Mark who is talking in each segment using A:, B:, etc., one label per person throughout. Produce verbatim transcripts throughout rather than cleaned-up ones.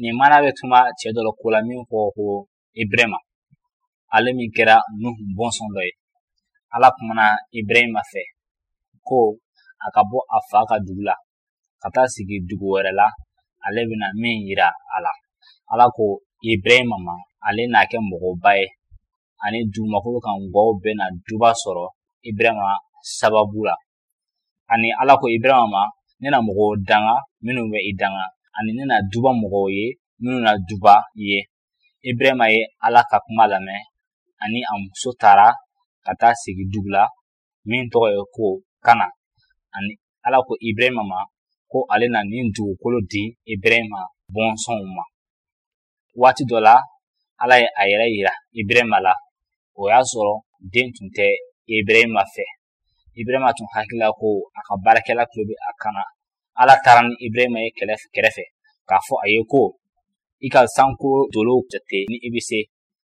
A: Nin maana bɛ tuma cɛ dɔ la ko la min ko ko Ibrahima, ale min kɛra Nuhu bɔnsɔn dɔ ye. Ala kumana Ibrahima fɛ ko a ka bɔ a fa ka dugu la ka taa sigi dugu wɛrɛ la, ale bɛna min yira a la. Ala ko Ibrahima ma ale n'a kɛ mɔgɔba ye, ani dugumakolo kan gwaw bɛna duba sɔrɔ Ibrahima sababu la. Ani Ala ko Ibrahima ma, ne na mɔgɔw danga minnu bɛ i danga, ani ne na duba mɔgɔw ye minnu na duba i ye. Ibrahima ye Ala ka kuma lamɛn, ani a muso taara ka taa sigi dugu la min tɔgɔ ye ko Kana. Ani Ala ko Ibrahima ma ko ale na nin dugukolo di Ibrahima bɔnsɔnw ma. Waati dɔ la, Ala ye a yɛrɛ yira Ibrahima la. O y'a sɔrɔ den tun tɛ Ibrahima fɛ. Ibrahima tun hakili la ko a ka baarakɛla tulo bɛ a kan na. Ala taara ni Ibrahima ye kɛlɛ kɛrɛfɛ k'a fɔ a ye ko i ka sanko dolow jate ni i bɛ se,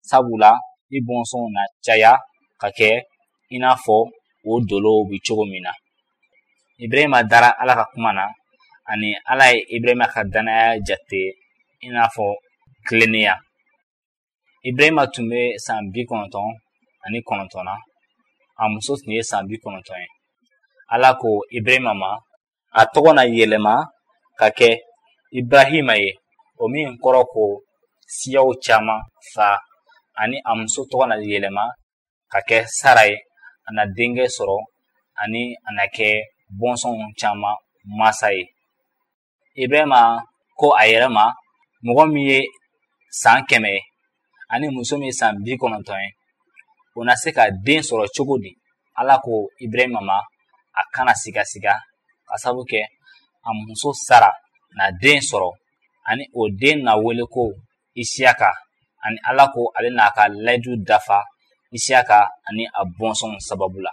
A: sabula i bɔnsɔnw na caya ka kɛ i n'a fɔ o dolow bɛ cogo min na. Ibrahima dara Ala ka kuma na, ani Ala ye Ibrahima ka danaya jate i n'a fɔ tilennenya. Ibrahima tun bɛ san bi kɔnɔntɔn ani kɔnɔntɔn na, a muso tun ye san bi kɔnɔntɔn ye. Ala ko Ibrahima ma a tɔgɔ na yɛlɛma ka kɛ Ibrahima ye, o min kɔrɔ ko siyaw caman fa, ani a muso tɔgɔ na yɛlɛma ka kɛ Sara ye, a na denkɛ sɔrɔ ani a na kɛ bɔnsɔnw caman masa ye. Ibrahima ko a yɛrɛ ma, mɔgɔ min ye san kɛmɛ ye ani muso min ye san bi kɔnɔntɔn ye, o na se ka den sɔrɔ cogo di? Ala ko Ibrahima ma a kana sigasiga, ka sabu kɛ a muso Sara na den sɔrɔ, ani o den na wele ko Isiyaka, ani Ala ko ale n'a ka layidu dafa Isiyaka ani a bɔnsɔnw sababu la.